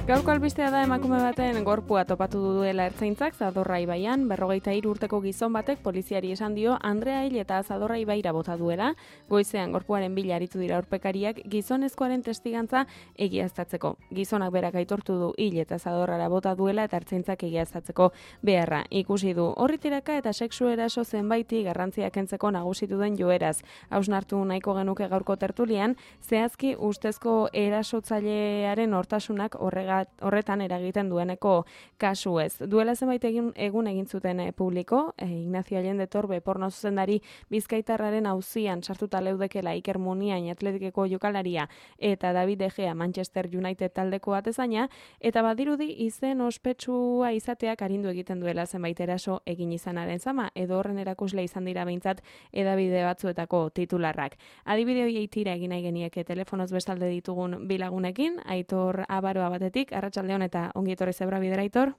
Gaurko albistea da emakume baten gorpua topatu duela ertzaintzak Zadorra ibaian, 43 urteko gizon batek poliziari esan dio Andrea hil eta Zadorra ibaira bota duela. Goizean gorpuaren bila aritu dira urpekariak gizonezkoaren testigantza egiaztatzeko. Gizonak berak aitortu du hil eta Zadorrara bota duela eta ertzaintzak egiaztatzeko beharra ikusi du. Horritiraka eta sexu eraso zenbaiti garrantzia kentzeko nagusitu den joeraz. Hausnartu nahiko genuke gaurko tertulian, zehazki ustezko erasotzailearen hortasunak horretan eragiten dueneko kasu ez. Duela zenbait egun egin zuten publiko, Ignacio Allende Torbe porno zuzendari Bizkaitarraren auzian sartuta leudekela Iker Muniain Atletikeko jokalaria eta David De Gea Manchester United taldeko atezaina, eta badirudi izen ospetsua izateak arindu egiten duela zenbait eraso egin izanaren zama, edo horren erakusle izan dira behintzat edabide batzuetako titularrak. Adibide horiei tira egin nahi genieke telefonoz bestalde ditugun bilagunekin, Aitor Abaroa batetik, Arratsaldeon eta ongi etorri Zebra Bidera, Aitor.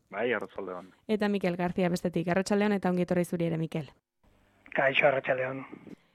Bai, Arratsaldeon. Eta Mikel García bestetik, Arratsaldeon eta ongi etorri zuri ere, Mikel. Kaixo, Arratsaldeon.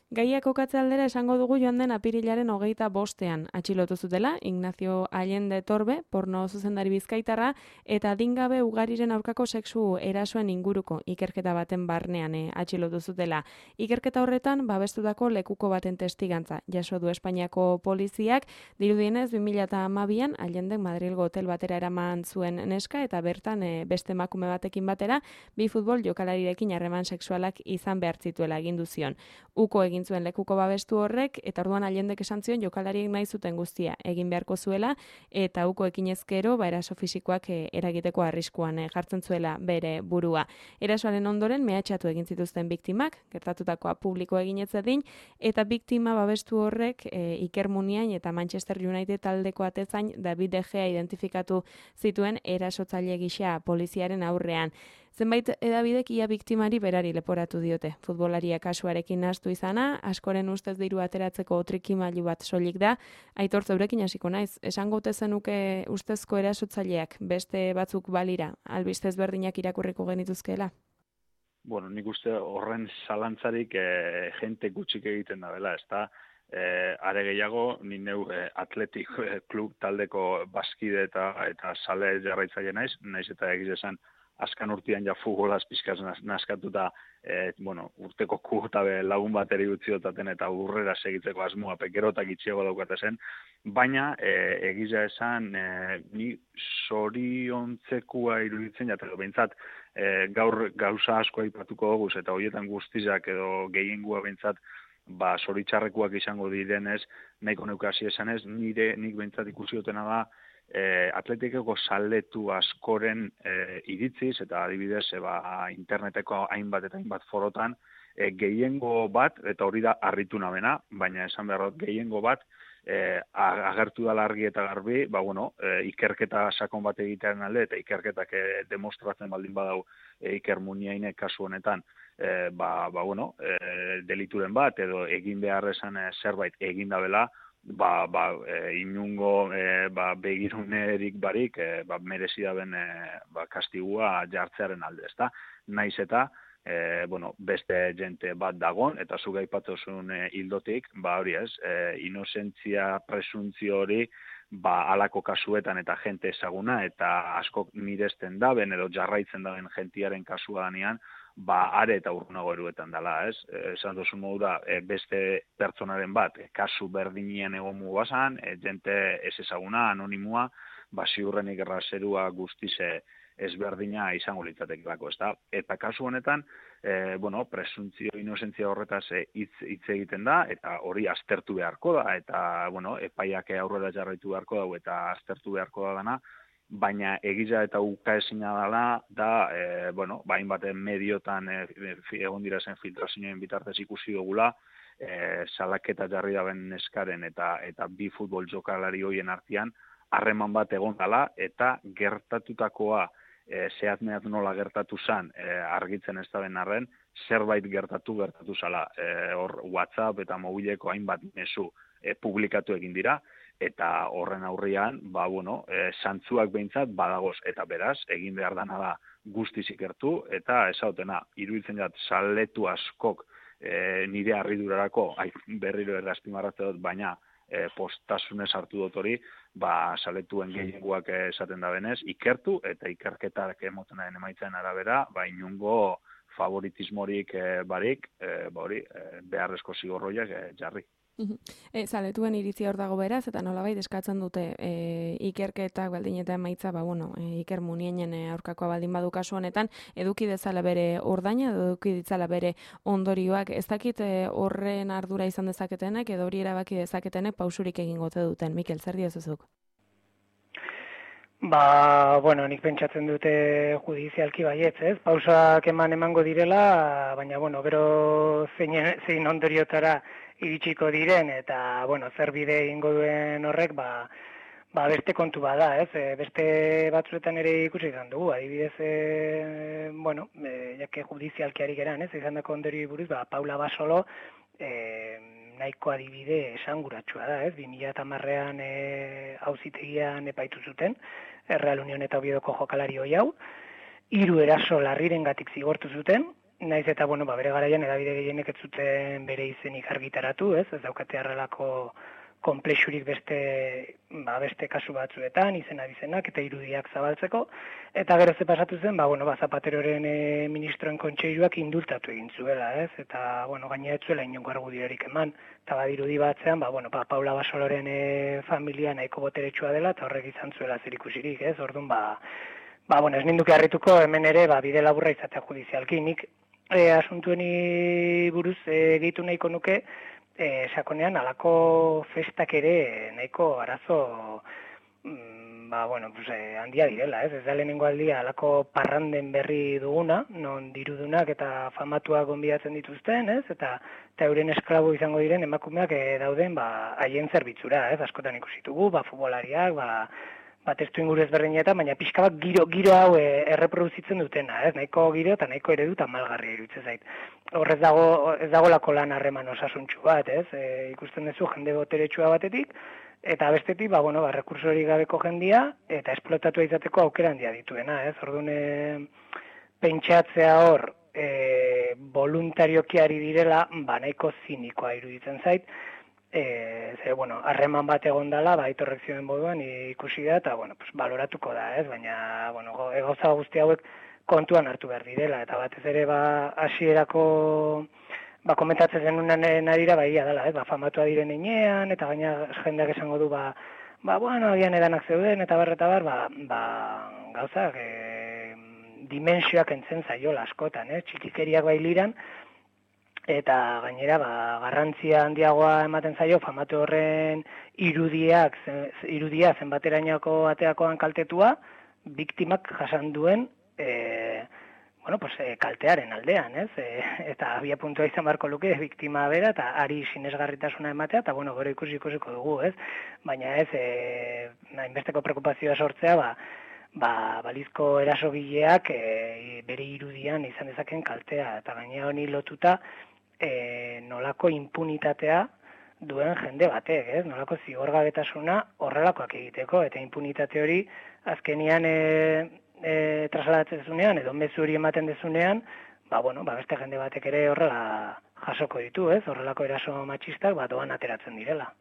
Gaia kokatze aldera esango dugu joan den apirilaren 25ean atxilotu zutela Ignacio Allende Torbe, porno zuzendari Bizkaitarra, eta adingabe ugariren aurkako sexu erasoen inguruko ikerketa baten barnean atxilotu zutela. Ikerketa horretan babestutako lekuko baten testigantza jaso du Espainiako poliziak, dirudienez 2012an Allende Madrilgo hotel batera eraman zuen neska eta bertan beste emakume batekin batera bi futbol jokalarirekin harreman sexualak izan behar zituela agindu zion. Uko egin zuen lekuko babestu horrek, eta orduan Allendek esan zion jokalariek nahi zuten guztia egin beharko zuela, eta uko ekinezkero eraso fisikoak eragiteko arriskuan jartzen zuela bere burua. Erasoaren ondoren mehatxatu egin zituzten biktimak, gertatutakoa publiko egin ez zedin, eta biktima babestu horrek Iker Muniain eta Manchester United taldeko atezain David De Gea identifikatu zituen erasotzaile gisa poliziaren aurrean. Zenbait edabidek ia biktimari berari leporatu diote. Futbolaria kasuarekin nahastu izana, askoren ustez diru ateratzeko trikimailu bat soilik da. Aitor, zeurekin hasiko naiz, esango ote zenuke ustezko erasotzaileak beste batzuk balira, albistez berdinak irakurriko genituzkeela? Bueno, nik uste horren zalantzarik jente gutxik egiten da bela, ezta? Are gehiago, ni neu Atletik klub taldeko baskide eta sale jarraitzaile naiz eta egiz esan azkan urtean ja futbolaz pizkaz naskatuta, urteko kurtabe lagun bateri utziotaten eta urrera segitzeko asmoa pekerotak itxiego daukate zen, baina egiza esan ni zoriontzekua iruditzen jateko, behintzat gaur gauza asko aipatuko dugu eta horietan guztizak edo gehiengua behintzat zoritxarrekuak izango direnez, nahiko neukasi esanez, nik behintzat ikusi dutena da, Atletikeko saletu askoren iritziz eta adibidez interneteko hainbat eta hainbat forotan gehiengo bat, eta hori da harritu nabena, baina esan behar dut gehiengo bat agertu da argi eta garbi, ikerketa sakon bat egitearen alde eta ikerketak demostratzen baldin badau Iker Muniainek kasu honetan delituren bat edo egin behar esan zerbait egin dabela, inungo begirunerik barik merezi daben kastigua jartzearen alde, ezta? Naiz eta beste jente bat dagon, eta zuk aipatuzun hildotik, hori ez, inozentzia presuntzio hori halako kasuetan eta jente ezaguna eta askok miresten daben edo jarraitzen daben jentiaren kasua danean, are eta urrunago eruetan dela, ez? Esan duzun modu da, beste pertsonaren bat, kasu berdinien egon mugazan, jente ez ezaguna, anonimua, ziurrenik errazerua guztize ezberdina izango litzatekelako, ezta? Eta kasu honetan, presuntzio inozentzia horretaz hitz egiten da, eta hori aztertu beharko da, eta, epaiak aurrera jarraitu beharko da, eta aztertu beharko da dana, baina egiza eta ukaezina da, hainbat mediotan egon dira zen filtrazioen bitartez ikusi dugula, salaketa jarri daben neskaren eta bi futbol jokalari hoien artean harreman bat egon dela, eta gertatutakoa zehatmehat nola gertatu zan argitzen ez da ben arren, zerbait gertatu zala. Hor WhatsApp eta mobileko hainbat mezu publikatu egin dira, eta horren aurrian, zantzuak behintzat badagoz, eta beraz, egin behar dana da guztiz ikertu, eta esautena, iruditzen jat, saletu askok nire harridurarako, berriro errazpimarratze dut, baina postasunez hartu dut hori, saletuen gehiengoak esaten da benez, ikertu eta ikerketak emoten den emaitzen arabera, inungo favoritismorik barik, beharrezko zigorroiak jarri. Zaletuen iritzia hor dago beraz, eta nolabait eskatzen dute ikerketak baldin eta emaitza, Iker Munienen aurkakoa baldin badu kasu honetan, eduki dezala bere ordaina, eduki ditzala bere ondorioak, ez dakit horren ardura izan dezaketenek, edo hori erabaki dezaketenek pausurik egingote duten. Mikel, zer diozuzuk? Nik pentsatzen dute judizialki baietz, ez? Pausak emango direla, baina, gero zein ondoriotara iritsiko diren, eta, zer bide egingo duen horrek, beste kontu bada, ez? Beste batzuetan ere ikusi izan dugu, adibidez, jake judizialki ari geran, ez? Izan dako ondorio buruz, Paula Basolo, nahiko adibide esanguratsua da, ez? 2010ean auzitegian epaitu zuten, Real Union eta Oviedoko jokalari hoi hau, 3 eraso larrirengatik zigortu zuten, naiz eta, bere garaian edabide gehienek ez zuten bere izenik argitaratu, ez daukate harrelako konplexurik beste kasu batzuetan, izenak eta irudiak zabaltzeko, eta gero ze pasatu zen, Zapateroren ministroen kontseiluak indultatu egin zuela, ez? Eta, gaina ez zuela inongo argudiorik eman, eta badirudi batzean, Paula Basoloren familia nahiko boteretsua dela, eta horrek izan zuela zerikusirik, ez? Orduan, ez ninduke harrituko hemen ere, bide laburra izatea judizialki, nik asuntueni buruz gehitu nahiko nuke, sakonean alako festak ere nahiko arazo handia direla, ez da lehenengo aldia alako parranden berri duguna, non dirudunak eta famatuak gonbidatzen dituzten, ez? Eta euren esklabo izango diren emakumeak dauden haien zerbitzura, ez? Askotan ikusitugu, futbolariak, testu inguru ezberdinetan, baina pixka bat giro hau erreproduzitzen dutena, ez? Nahiko giro eta nahiko eredu eta malgarria iruditzen zait. Hor ez dagolako lan harreman osasuntxu bat, ez? Ikusten duzu jende boteretsua batetik, eta bestetik, rekursorik gabeko jendia, eta esplotatu izateko aukera handia dituena, ez? Orduan, pentsatzea hor, voluntarioki ari direla, nahiko zinikoa iruditzen zait, harreman bat egon dela, aitorrek zioen moduan ikusi da, eta, baloratuko da, ez? Baina, gauza guzti hauek kontuan hartu behar direla, eta batez ere, hasierako komentatzen zenuen arira, ia dela, ez? Famatua diren enean, eta gaina jendeak esango du, agian edanak zeuden, eta bar, gauzak, dimensioak entzen zaiola askotan, txikikeriak liran, eta gainera, garrantzia handiagoa ematen zaio, famatu horren irudia zenbaterainoko ateakoan kaltetua, biktimak jasan duen, kaltearen aldean, ez? Eta abia puntua izan barko luke, biktima bera, eta ari sinesgarritasuna ematea, eta gero ikusiko dugu, ez? Baina ez, hainbesteko preokupazioa sortzea, balizko erasogileak bere irudian izan dezaken kaltea, eta gainera honi lotuta, nolako impunitatea duen jende batek, ez? Nolako zigorgabetasuna horrelakoak egiteko, eta impunitate hori azkenian trasladatzen zunean, edo mezu hori ematen dezunean, beste jende batek ere horrela jasoko ditu, ez? Horrelako eraso matxistak doan ateratzen direla.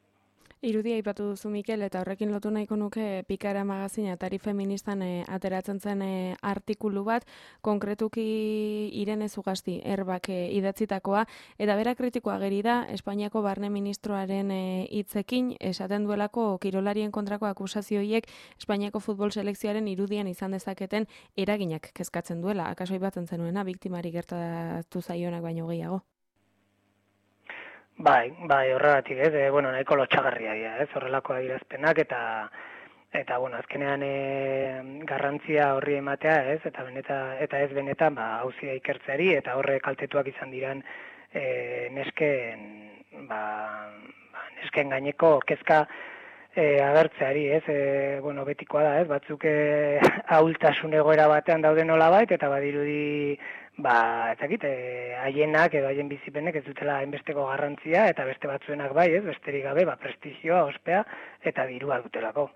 Irudia aipatu duzu, Mikel, eta horrekin lotu nahiko nuke Pikara magazina Atari Feministan ateratzen zen artikulu bat, konkretuki Irene Zugasti Erbak idatzitakoa, eta bera kritikoa geri da Espainiako barne ministroaren hitzekin esaten duelako kirolarien kontrako akusazioiek Espainiako futbol selekzioaren irudian izan dezaketen eraginak kezkatzen duela. Akaso aipatzen zenuena, biktimari gertatu zaionak baino gehiago. Bai, horregatik, ez, nahiko lotxagarria dira, ez, horrelako adierazpenak, eta azkenean garrantzia horri ematea, ez, eta ez benetan, auzia ikertzeari, eta horre kaltetuak izan diran nesken gaineko kezka agertzeari, ez, betikoa da, ez, batzuk ahultasun egoera batean dauden nolabait, eta badirudi, ezakit, haienak edo haien bizipenek ez dutela hainbesteko garrantzia, eta beste batzuenak bai, ez, besterik gabe, prestigioa, ospea, eta dirua dutelako.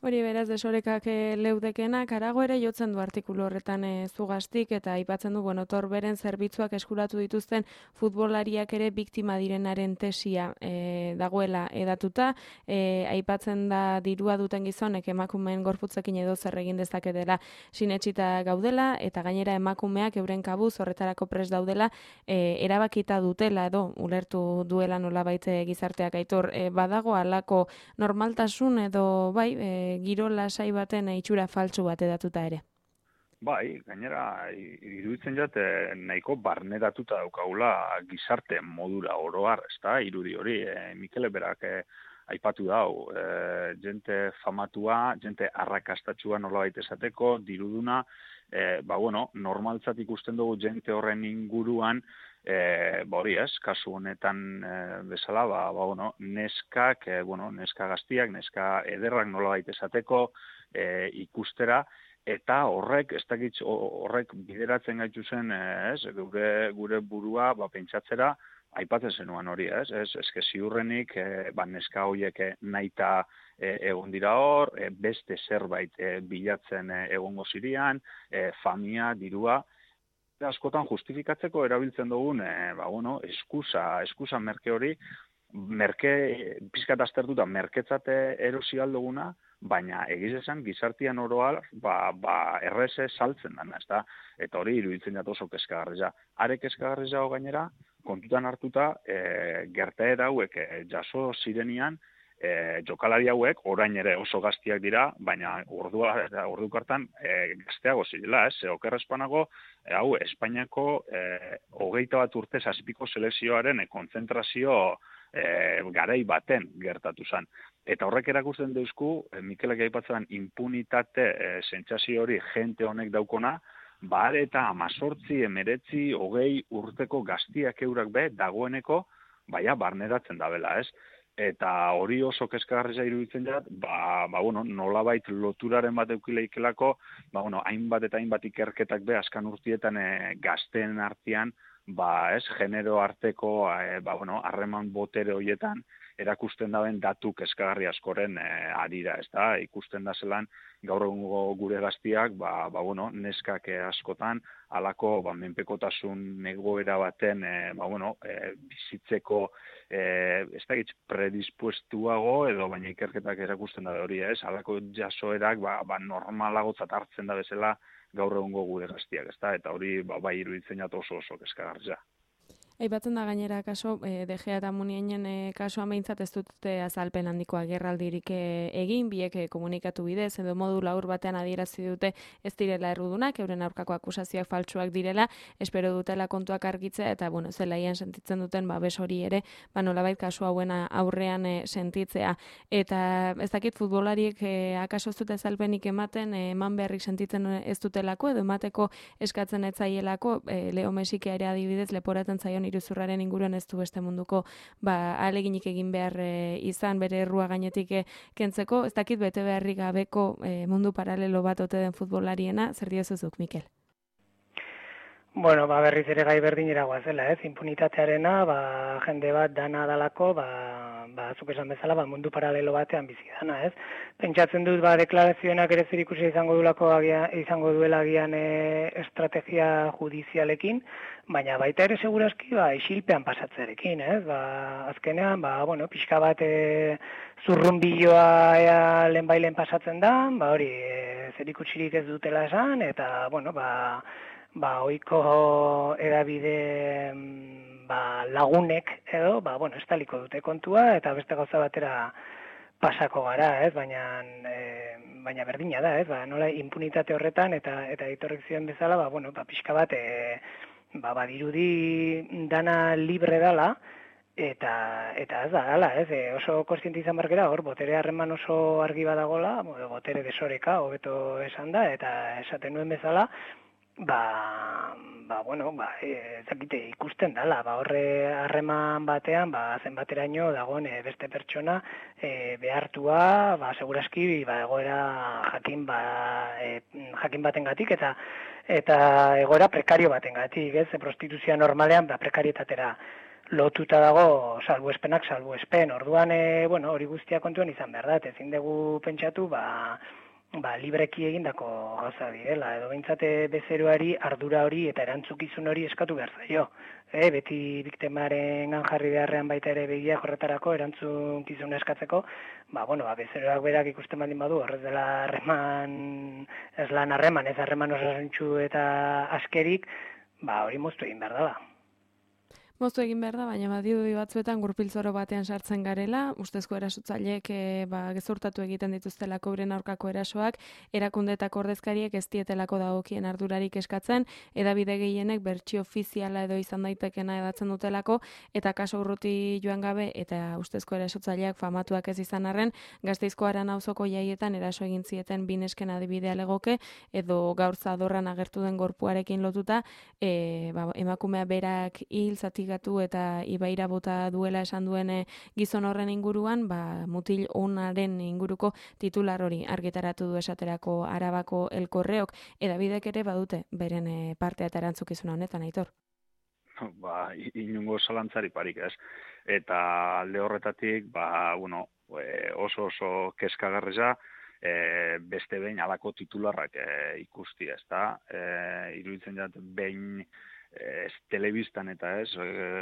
Hori beraz desorekak leudekenak, arago ere jotzen du artikulu horretan Zugaztik, eta aipatzen du, Torberen zerbitzuak eskuratu dituzten futbolariak ere biktima direnaren tesia dagoela edatuta, aipatzen da dirua duten gizonek emakumeen gorputzekin edo zer egin dezaketela sinetsita gaudela, eta gainera emakumeak euren kabuz horretarako prest daudela erabakita dutela edo ulertu duela nolabait gizarteak. Aitor, badago halako normaltasun edo bai, giro lasai baten itxura faltsu bat edatuta ere. Bai, gainera, iruditzen jat, nahiko barneratuta daukagula gizarte modura oroar, ezta, irudi hori, Mikele berak aipatu dau, jente famatua, jente arrakastatxua nolabait esateko, diruduna, normaltzat ikusten dugu jente horren inguruan, hori ez, kasu honetan bezala, neskak, neska gaztiak, neska ederrak nolabait esateko ikustera, eta horrek bideratzen gaitu zen, gure burua pentsatzera, aipatzen zenuen hori, eske ziurrenik, neska horiek nahita egon dira hor, beste zerbait bilatzen egongo zirian, famia, dirua, askotan justifikatzeko erabiltzen dugun, eskusa merke hori, pizkat aztertuta merketzat erosi alduguna, baina egiz esan gizartian oroal erreze saltzen dana, ezta? Eta hori iruditzen jat oso kezkagarria. Are kezkagarria gainera, kontutan hartuta, gertaera hauek jaso zirenian, jokalari hauek orain ere oso gaztiak dira, baina orduk hartan gazteago zirela, okerrezpanago, hau Espainiako 21 urte zazpiko selekzioaren kontzentrazio garai baten gertatu zen. Eta horrek erakusten deuzku, Mikelek aipatzen impunitate sentsazio hori jente honek daukona, eta 18, 19, 20 urteko gaztiak eurak dagoeneko, barneratzen dabela, ez? Eta hori oso kezkagarria iruditzen jat, nolabait loturaren bat eukileikelako, hainbat eta hainbat ikerketak askan urtietan gazteen artean, genero arteko, harreman botere horietan, erakusten daben datu kezkagarri askoren arira, ez da, ikusten da zelan, gaur egungo gure gaztiak, neskak askotan, halako menpekotasun egoera baten, bizitzeko, ez da predispuestuago, edo baina ikerketak erakusten da hori, ez, halako jasoerak, normalagotzat hartzen da bezala, gaur egungo gure gaztiak, ez da, eta hori, iruditzen jat oso kezkagarria. Aipatzen da gainera kaso, De Gea eta Muniainen kasuan behintzat ez dute azalpen handiko agerraldirik egin, biek komunikatu bidez, edo modu laur batean adierazi dute ez direla errudunak, euren aurkako akusazioak faltsuak direla, espero dutela kontuak argitzea, eta zelaian sentitzen duten babes hori ere, nolabait kasu hauen aurrean sentitzea. Eta ez dakit futbolariek akaso ez dute azalpenik ematen, eman beharrik sentitzen ez dutelako, edo emateko eskatzen ez zaielako, Leo Messi ere adibidez leporatzen zaion iruzurraren inguruan ez du beste munduko ahaleginik egin behar izan bere errua gainetik kentzeko, ez dakit bete beharrik gabeko mundu paralelo bat ote den futbolariena, zer diozuzuk, Mikel? Berriz ere gai berdinera guazela, impunitatearena, jende bat dana dalako, zuk esan bezala, mundu paralelo batean bizi dana, ez? Pentsatzen dut, deklarazioenak ere zer ikusi izango duela agian estrategia judizialekin, baina baita ere segurazki, isilpean pasatzearekin, ez? Azkenean, pixka bat zurrunbiloa lehenbailen pasatzen da, hori zer ikusirik ez dutela esan, eta, ohiko edabide lagunek edo, estaliko dute kontua, eta beste gauza batera pasako gara, ez? Baina berdina da, ez? Nola impunitate horretan, eta ditorrek ziren bezala, pixka bat, badirudi dana libre dala, eta ez da, dala, ez? Oso kontziente izan barkera, hor, botere harreman oso argi badagola, botere desoreka, hobeto esan da, eta esaten nuen bezala, ezakite ikusten dala, horre harreman batean, zenbateraino dagoen beste pertsona behartua, segurazki, egoera jakin batengatik eta egoera prekario batengatik, ez? Prostituzioa normalean prekarietatera lotuta dago salbuespenak salbuespen. Orduan, hori guztia kontuan izan behar da, ezin dugu pentsatu, libreki egindako gauza direla, edo behintzate bezeroari ardura hori eta erantzukizun hori eskatu behar zaio. Beti biktimaren jarri beharrean baita ere begiak horretarako erantzukizun eskatzeko, bezeroak berak ikusten baldin badu, horrez dela ez harreman osasuntsu eta askerik, hori moztu egin behar dela. Moztu egin behar da, baina badirudi batzuetan gurpiltzoro batean sartzen garela, ustezko erasotzaileek gezurtatu egiten dituztelako euren aurkako erasoak, erakundeetako ordezkariek ez dietelako dagokien ardurarik eskatzen, hedabide gehienek bertsio ofiziala edo izan daitekena edatzen dutelako, eta kaso urruti joan gabe eta ustezko erasotzaileak famatuak ez izan arren, Gasteizko Aranauzoko jaietan eraso egin zieten bi nesken adibidea legoke, edo gaur zadorran agertu den gorpuarekin lotuta, emakumea berak hil eta ibaira bota duela esan duen gizon horren inguruan, mutil onaren inguruko titular hori argitaratu du esaterako Arabako Elkorreok, edabidek ere badute beren partea eta erantzukizuna honetan, Aitor. Inungo zalantzari parik ez. Eta alde horretatik, oso kezkagarria, beste behin alako titularrak ikusti, ez da? Iruditzen jat, behin telebistan eta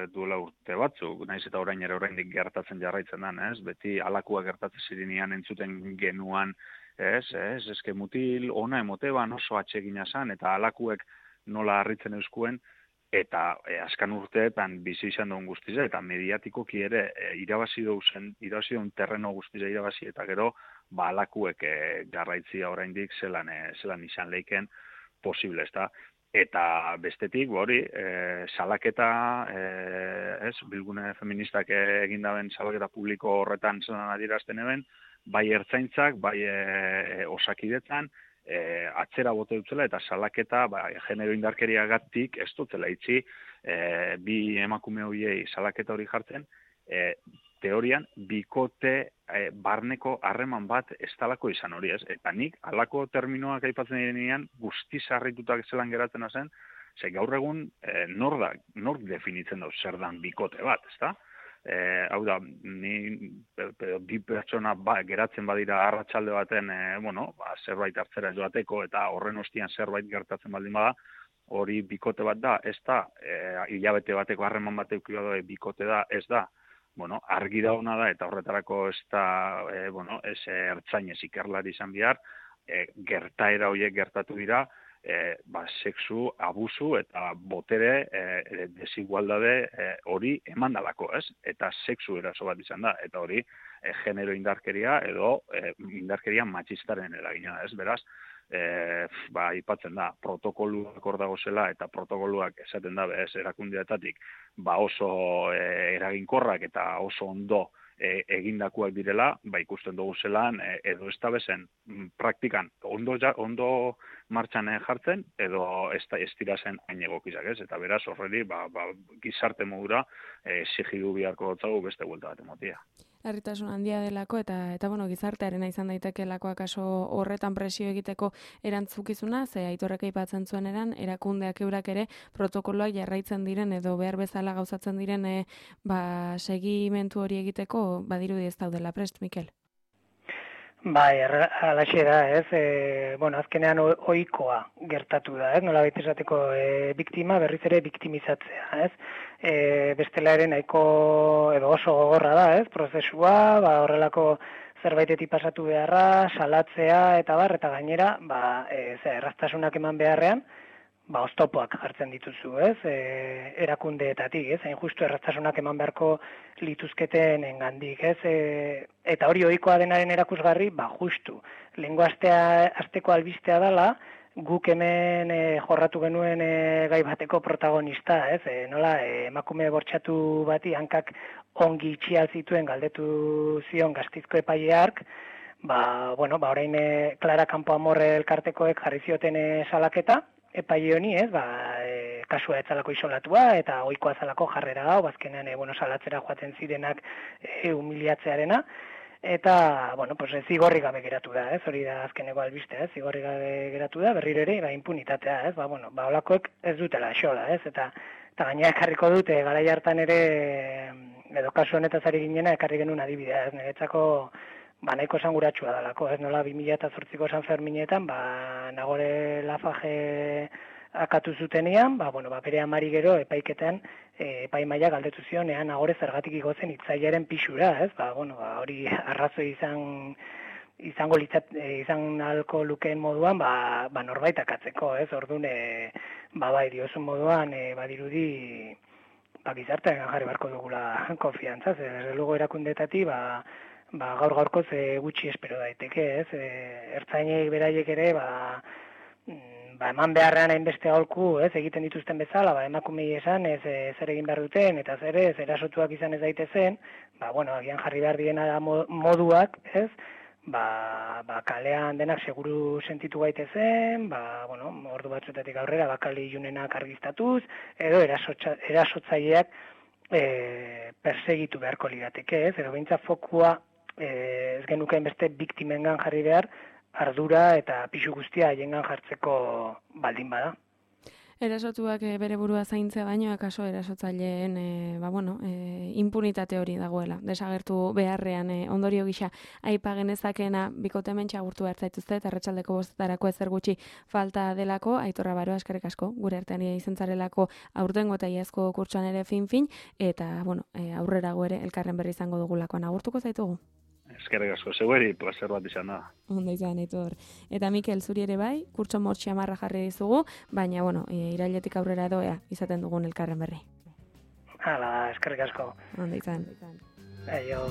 duela urte batzuk, naiz eta oraindik gertatzen jarraitzen den, beti alakua gertatzen zirinean entzuten genuan, eske mutil ona emoteban oso atsegina zan, eta alakuek nola harritzen euskuen, eta azkan urteetan bizi izan duen guztiza, eta mediatikoki ere irabazi duen terreno guztiza irabazi, eta gero alakuek garraitzia oraindik zelan izan leiken posible, ez da? Eta bestetik, salaketa, bilgune feministak egindaben salaketa publiko horretan zelan adierazten eben, bai ertzaintzak, bai osakidetzan, atzera bote dutzela, eta salaketa, genero indarkeriagatik ez dutzela itxi, bi emakume horiei salaketa hori jartzen, teorian, bikote barneko harreman bat ez talako izan hori, ez? Eta nik, halako terminoak aipatzen direnean, guztiz harritutak zelan geratzen zen, gaur egun, nor definitzen dut zer dan bikote bat, ez da? Hau da, bi pertsona geratzen badira arratsalde baten, zerbait hartzera joateko, eta horren ostian zerbait gertatzen baldin bada, hori bikote bat da, ez da, hilabete bateko harreman bat eukio da, bikote da, ez da, argi da ona da, eta horretarako ez da, ez ertzainez ikerlari izan behar, gertaera horiek gertatu dira, sexu, abusu eta botere desigualdade hori emandalako, ez? Eta sexu eraso bat izan da, eta hori genero indarkeria edo indarkeria matxistaren eragina, ez? Beraz, aipatzen da, protokoluak hor dago zela, eta protokoluak esaten da, erakundeetatik, oso eraginkorrak eta oso ondo egindakoak direla, ikusten dugu zelan, edo ez da bezen praktikan ondo martxan jartzen, edo ez dira zen hain egokizak, ez? Eta beraz horreri, gizarte modura exigidu beharko dutzagu beste buelta bat emotia. Larritasun handia delako eta gizartearena izan daitekelako akaso horretan presio egiteko erantzukizuna, ze Aitorrek aipatzen zuen erakundeak eurak ere protokoloak jarraitzen diren edo behar bezala gauzatzen diren segimentu hori egiteko badirudi ez daudela prest, Mikel. Alaxe da, ez? Azkenean ohikoa gertatu da, ez? Nola baita esateko biktima berriz ere biktimizatzea, ez? Bestela ere nahiko edo oso gogorra da, ez? Prozesua, horrelako zerbaitetik pasatu beharra, salatzea eta gainera, erraztasunak eman beharrean, oztopoak jartzen dituzu, ez? Erakundeetatik, ez? Hain justu erraztasunak eman beharko lituzketen engandik, ez? Eta hori ohikoa denaren erakusgarri, justu. Lehengo asteko albistea dela, guk hemen jorratu genuen gai bateko protagonista, ez? Nola, emakume bortxatu bati hankak ongi itxial zituen galdetu zion Gasteizko epaileak, orain Clara Campoamor elkartekoek jarri zioten salaketa, epaile honi, ez, kasua etzalako isolatua eta ohikoa zalako jarrera hau, azkenean salatzera joaten zirenak humiliatzearena, eta, zigorri gabe geratu da, ez, hori da azkeneko albistea, ez, zigorri gabe geratu da, berriro ere, impunitatea, ez, olakoek ez dutela xola, ez, eta Eta gaina ekarriko dute, garai hartan ere, edo kasu honetaz ari ginena, ekarri genuen adibidea, ez niretzako, nahiko esanguratsua dalako, ez nola 2008ko San Ferminetan, Nagore Lafaje akatu zutenean, bere amari gero epaiketan, epaimaia galdetu zionean, Nagore zergatik igotzen itzaiaren pixura, ez? Hori arrazoi izan alko lukeen moduan, norbait akatzeko, ez? Orduan, diozun moduan, badirudi, gizartean jarri barko dugula konfiantzaz, desde luego erakundetatik, gaur-gaurkoz gutxi espero daiteke, ez? Ertzainei beraiek ere, eman beharrean hainbeste aholku, ez, egiten dituzten bezala, emakumei esan, ez zer egin behar duten, eta zer ez, erasotuak izan ez daitezen, agian jarri behar diena moduak, ez, kalean denak seguru sentitu gaitezen, ordu batzuetatik aurrera, bakali ilunenak argiztatuz, edo erasotzaileak persegitu beharko lirateke, ez, edo behintzat fokua ez genuken beste biktimengan jarri behar, ardura eta pixu guztia haiengan jartzeko baldin bada. Erasotuak bere burua zaintzea baino, akaso erasotzaileen impunitate hori dagoela. Desagertu beharrean ondorio gisa aipa genezakena bikote mentxe agurtu behar zaituzte, eta arratsaldeko 5:00 ezer gutxi falta delako, Aitor Rabaroa eskerrik asko, gure artean izan zarelako aurtengo eta iazko kurtsoan ere fin, eta aurrerago ere elkarren berri izango dugulakoan agurtuko zaitugu. Eskerrik asko, zeueri, placer bat izan da. Ondo izan, Aitor. Eta Mikel, zuri ere bai, kurtso motx xamarra jarri dizugu, baina, irailetik aurrera doea izaten dugun elkarren berri. Hala, eskerrik asko. Ondo izan. Aio,